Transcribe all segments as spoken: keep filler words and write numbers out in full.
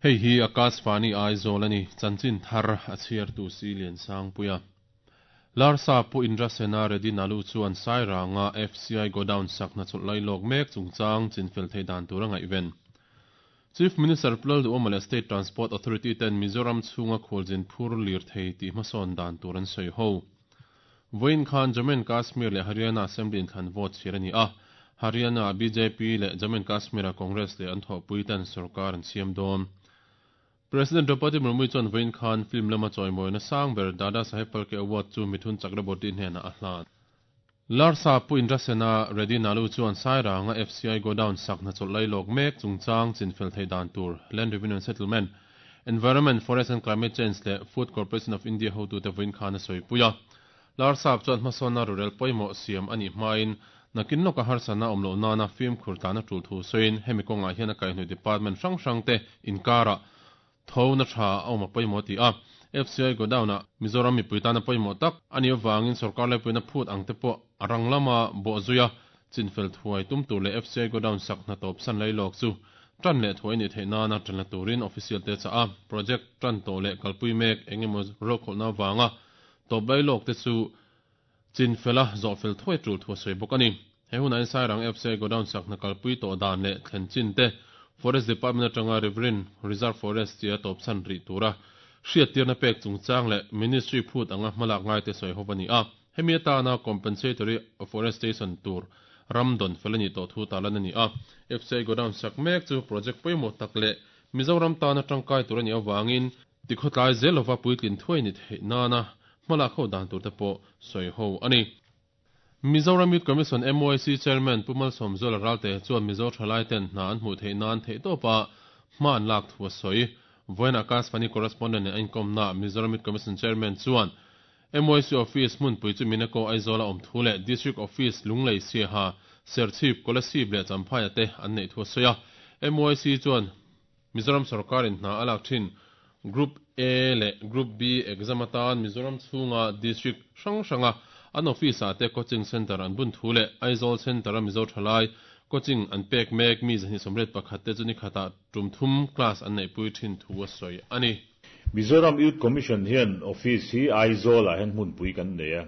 Hei hi Akashvani Aizawl ani chanchin thar a chhiar tu si lian sang puia. Larsa pu Indrasena Reddy Nalu chuan Sairanga F C I Godown sakna chawlh lai lawk mek chungchang chinfel thei dan tur a ngaihven. Chief Minister Pu Lalduhoma leh State Transport Authority ten Mizoram chhunga khualzin phur lir thei tih hmasawn dan tur an sawi ho. Vawiin khan Jammu and Kashmir leh Haryana Assembly inthlan vote chhir a ni a. Haryana B J P leh Jammu and Kashmir a Congress leh an thawhpui ten sarkar an siam dawn. President Draupadi Murmu chuan vawiin khan film lama chawimawina sang ber Dada Saheb Phalke Award chu Mithun Chakraborty hnenah a hlan. Larsa pu Indrasena Reddy Nalu chuan Sairanga F C I Godown sakna chawlh lai lawk mek chungchang chinfel thei dan tur Land Revenue and Settlement, Environment, Forest and Climate Change leh Food Corporation of India hotute vawiin khan a sawi pui a. Larsap chuan hmasawnna rurel pawimawh siam ani hmain nakin lawka harsana awm lo nana fimkhur tlana tul thu sawiin hemi kawngah hian a kaihhnawih department hrang hrang te inkara tho na tha a awm a pawimawh ti a. F C I Godown a Mizoram mipui tana pawimawh tak ani awangin sarkar laipuina phut ang te pawh a rang lama bawh zuia chinfel thuai tum tur leh F C I Godown sak hna tawp san lai lawk chu tan leh thuai ni theih nana tan la turin official te cha a. Project tan to leh kalpui mek engemaw ro kholna wanga tawp lai lawk te chu chinfela zawhfel thuai tul thu sawi bawk ani. He hun an Sairang F C I Godown sak hna kalpui to dan leh thlen chin te, Forest Department atanga Riverine Reserve Forest tia tawp san ri tura hriat tirna pek chungchang leh ministry phut anga hmalak ngai te sawi ho ani a. Hemi atana compensatory afforestation tur ramdon felani to thu talan ani a. F C I Godown sak mek chu project pawimawh tak leh Mizoram tana tangkai tur ani awangin tikhotlai zelova puitlin thuai ni theih nana hmalak ho dan tur te pawh sawi ho ani. Mizoram Youth Commission M Y C Chairman Pu Malsawmzuala Ralte chuan Mizo thalai ten hna an hmuh theih nan theih tawpa hma an lak thu a sawi. Vawiin Akashvani correspondent in komna Mizoram Youth Commission Chairman chuan M Y C office hmunpui chu Minako Aizawl a awm thu leh District Office Lunglei, Siaha, Serchhip, Kolasib leh Champhai te an nei thu a sawi a. M Y C chuan Mizoram sarkar in hna a lak thin Group A leh Group B exam atan Mizoram chhunga district hrang hranga an office ah te coaching center an bun thu leh Aizawl Center a Mizo thalai coaching an pek mek mi zahnih sawmriat pakhat te chu ni khata tum thum class an nei pui thin thu a sawi ani. Mizoram Youth Commission hian office hi Aizawl ah hian hmunpui kan nei a.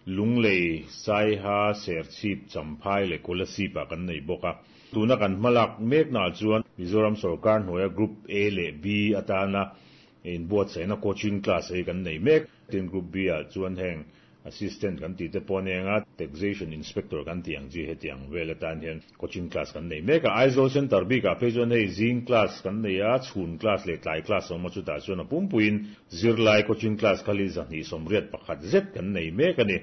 Lunglei, Saiha, Serchhip, Champhai leh Kolasib ah kan nei bawk a. Tuna kan hmalak mek na chuan Mizoram sarkar hnuaia Group A leh B atana in buatsaihna coaching class hei kan nei mek. Tin, Group B ah chuan heng assistant kan ti te pawh ania, taxation inspector kan ti ang chi, hetiang vel atan hian coaching class kan nei mek a. Aizawl Center bikah phei chuan hei zing class kan nei a, chhun class leh tlai class awm a. Chutah chuan a pumpuiin zirlai coaching class khali zahnih sawmriat pakhat zet kan nei mek ani.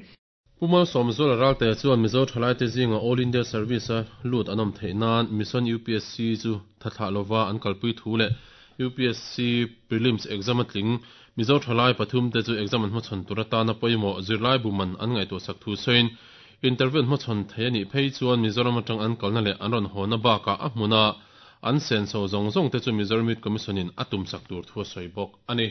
Pu Malsawmzuala Ralte chuan Mizo thalai te zinga All India Service a lut an awm theih nan Mission U P S C chu thathlah lova an kalpui thu leh U P S C prelims exam a tling Mizo thalai pathum te chu exam an hmachhawn tur atana pawimawh zirlai buman an ngaihtuah sak thu sawiin interview an hmachhawn thei ani phei chuan Mizoram atang an kalna leh an rawn hawna bakah a hmuna an senso zawng zawng te chu Mizoram Youth Commission in a tum sak tur thu a sawi bawk ani.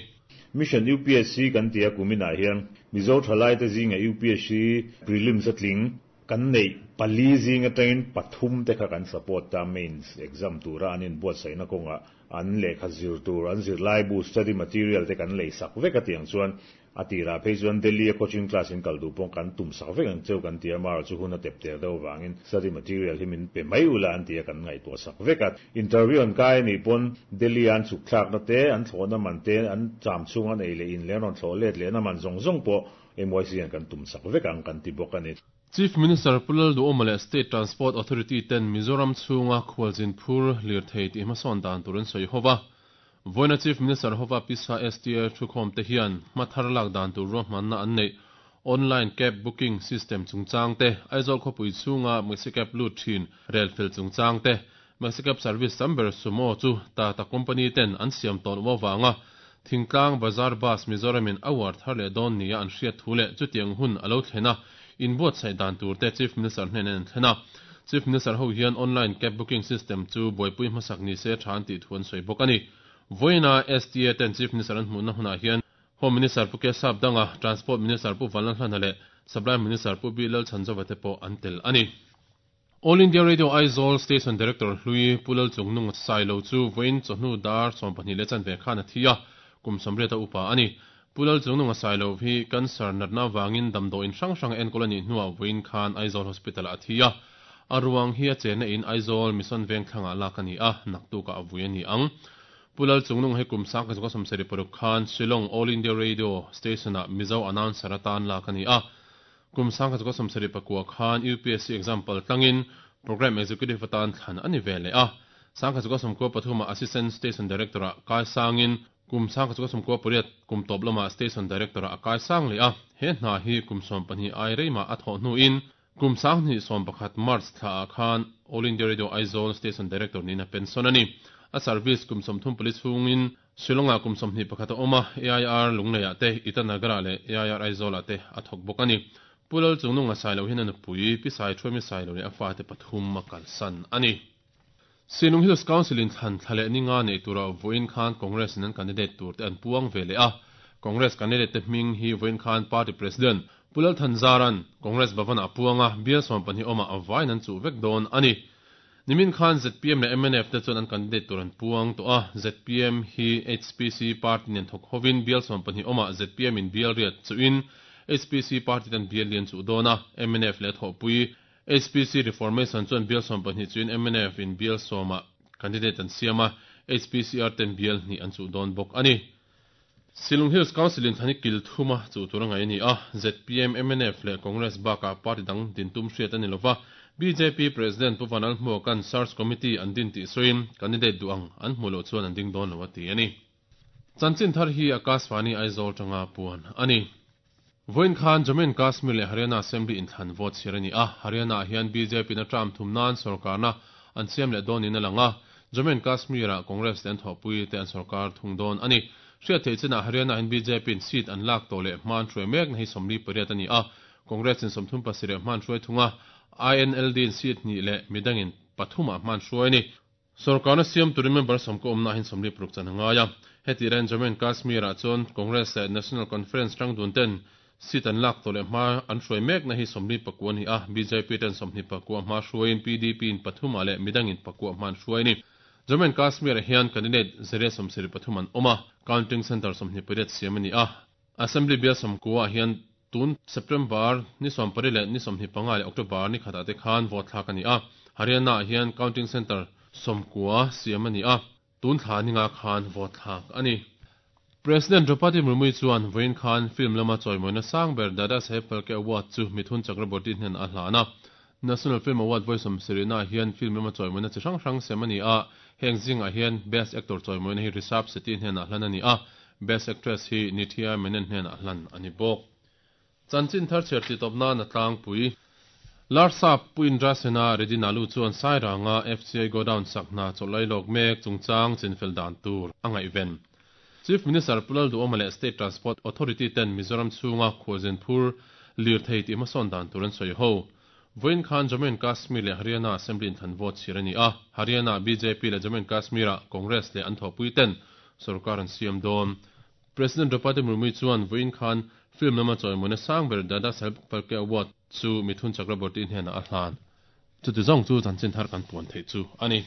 Mission U P S C kan tia kumina hian Mizo thalai te zinga U P S C prelims a tling kan nei pali zinga tangin pathum te kha kan support ta. Mains exam tura an in buatsaihna kawnga an lehkha zir tur, an zir lai bu, study material te kan lei sak vek a. Tiang chuan a tira phei chuan Delhi a coaching class in kal du pawh kan tum sak vek ang cheu kan tia, mar chu hun a tep ter deuh wangin study material hi min pe mai ula an tia, kan ngaihtuah sak vek a. Interview an kai ni pawn Delhi an chuk thlak na te, an thlawhna man te, an cham chung an ei leh in leh rawn thlawh let leh na man zawng zawng pawh M Y C an kan tum sak vek ang kan ti bawk ani. Chief Minister Pu Lalduhoma leh State Transport Authority ten Mizoram chhunga khualzin phur lir thei tih hmasawn dan tur an sawi hova. Vawiina Chief Minister hova pisa S T A thukhawm te hian hmathar lak dan tur ruahmanna an nei online cab booking system chungchang te, Aizawl khawpui chhunga Maxi Cab lut thin rel fel chungchang te, Maxi Cab service samber Sumo chu Tata company ten an siam tawn wanga thingtlang bazar bus Mizoramin award thar leh dawn nia an hriat thu leh chutiang hun alo thlena in buatsaih dan tur te Chief Minister hnen an thlena. Chief Minister ho hian online cab booking system chu buaipui hmasak ni se than ti thu an sawi bawk ani. Vawiina S T A ten Chief Minister an hmuhna hunah hian Home Minister Pu K Sapdanga, Transport Minister Pu Vanlalhlana leh Supply Minister Pu B Lalchhanzova te pawh an tel ani. All India Radio Aizawl Station Director hlui Pu Lalchungnunga Sailo chu vawiin chawhnu dar sawmpahnih leh chanve khan a thi a, kum sawmriat a upa a ni. Pu Lalchungnunga Sailo hi cancer natna avangin damdawiin hrang hrang a enkawl a nih hnuah vawiin khan Aizawl Hospital-ah a thi a. A ruang hi a chenna in Aizawl Mission Vengthlangah lak a ni a, naktukah a vui a ni ang. Pu Lalchungnunga hi kum sangkhat zakua sawmsarih paruk khan Shillong All India Radio Station-ah Mizo announcer atan lak a ni a. Kum sangkhat zakua sawmsarih pakua khan U P S C exam pal tlangin Program Executive atan thlan a ni ve leh a. Sangkhat zakua sawmkua pathumah Assistant Station Director-ah kai sangin kum sangkhat zakua sawmkua pariat kum tawp lamah Station Director-ah a kai sang leh a. He hna hi kum sawm pahnih ai reimah a thawh hnuin kum sanghnih sawm pakhat March thlaah khan All India Radio Aizawl Station Director niin a pension a ni. A service kum sawmthum pali chhungin Shillong-ah kum sawmhnih pakhat a awm a, A I R Lungleiah te, Itanagar-ah leh A I R Aizawl-ah te a thawk bawk a ni. Pu Lalchungnunga Sailo hian a nupui Pi Saithuaimi Sailo leh a fate pathum a kalsan a ni. Sinlung Hills Council in thlan thla leh ninga nei tura vawiin khan Congress in an candidate tur te an puang ve leh a. Congress candidate te hming hi vawiin khan Party President Pu Lalthanzaran Congress Bhavan ah a puang a, bial sawm pahnih awmah a vaiin an chuh vek dawn a ni. Nimin khan Z P M leh M N F te chuan an candidate tur an puang tawh a, Z P M hi H P C party nen thawk hovin bial sawm pahnih awmah Z P M in bial riat chuhin H P C party ten bial lian chuh dawn a, M N F leh thawhpui H P C Reformation chuan bial sawm pahnih chuhin M N F in bial sawmah candidate an siam a, H P C R ten bial hnih an chuh dawn bawk a ni. Shillong Hills Council in thlan hi kil thuma chuh tur a ngaih a ni a, Z P M, M N F leh Congress bakah party dang din tum hriat a ni lova. B J P President Pu Vanlalhmuaka'n Search Committee an din tih sawiin candidate duh ang an hmuh loh chuan an ding dawn lo a ti a ni. Chanchin thar hi Akashvani Aizawl tanga puan a ni. Vawiin khan Jammu and Kashmir leh Haryana Assembly inthlan vote chhiar a ni a, Haryana ah hian B J P in a term thum nan sorkarna an siam leh dawn niin a lang a, Jammu and Kashmir ah Congress te an thawhpui te an sorkar thung dawn a ni. Hriat theih chinah Haryana hian B J P in seat an lak tawh leh hman hruai mekna hi sawmli pariat a ni a, Congress in sawmthum pasarih hman hruai thung a, I N L D in seat hnih leh midangin pathumah hman hruai a ni. Sorkarna siam turin member sawmkaw awmna hian sawmli paruk chan a ngai a. Heti ren Jammu and Kashmir ah chuan Congress leh National Conference tang dun ten seat an lak tawh leh hma an hruai mekna hi sawmli pakua a ni a, B J P ten sawmhnih pakua hma hruaiin P D P in pathumah leh midangin pakua hman hruai a ni. Jammu and Kashmir ah hian candidate zariat sawmsarih pathum an awm a, counting center sawmhnih pariat siam a ni a. Assembly bial sawmkua ah hian tun September ni sawmpariat leh ni sawmhnih panga leh October ni khatah te khan vote thlak a ni a. Haryana ah hian counting center sawmkua siam a ni a, tun thla ninga khan vote thlak a ni. President Draupadi Murmu chuan vawiin khan film lama chawimawina sang ber Dada Saheb Phalke Award chu Mithun Chakraborty hnen a hlan a. National Film Award vawi sawmsarihna ah hian film lama chawimawina chi hrang hrang sem a ni a, heng zingah hian Best Actor chawimawina hi Rishabh Shetty hnenah hlan a ni a, Best Actress hi Nithya Menen hnenah hlan a ni bawk. Chanchin thar chhiar ti tawp nan a tlangpui. Larsap Pu Indra Sena Reddy Nalu chuan Sairanga F C I Godown sak hna chawlh lawk mek chungchang chinfel dan tur a ngaihven. Chief Minister Pu Lalduhoma leh State Transport Authority ten Mizoram chhunga khualzin phur lir thei tih hmasawn dan tur an sawi ho. Vawiin khan Jammu and Kashmir leh Haryana Assembly inthlan vote chhiar a ni a, Haryana B J P leh Jammu and Kashmir ah Congress leh an thawhpui ten sarkar an siam dawn. President Draupadi Murmu chuan vawiin khan film lama chawimawina sang ber Dada Saheb Phalke Award chu Mithun Chakraborty hnenah a hlan. Chuti zawng chu chanchin thar kan puan theih chu a ni.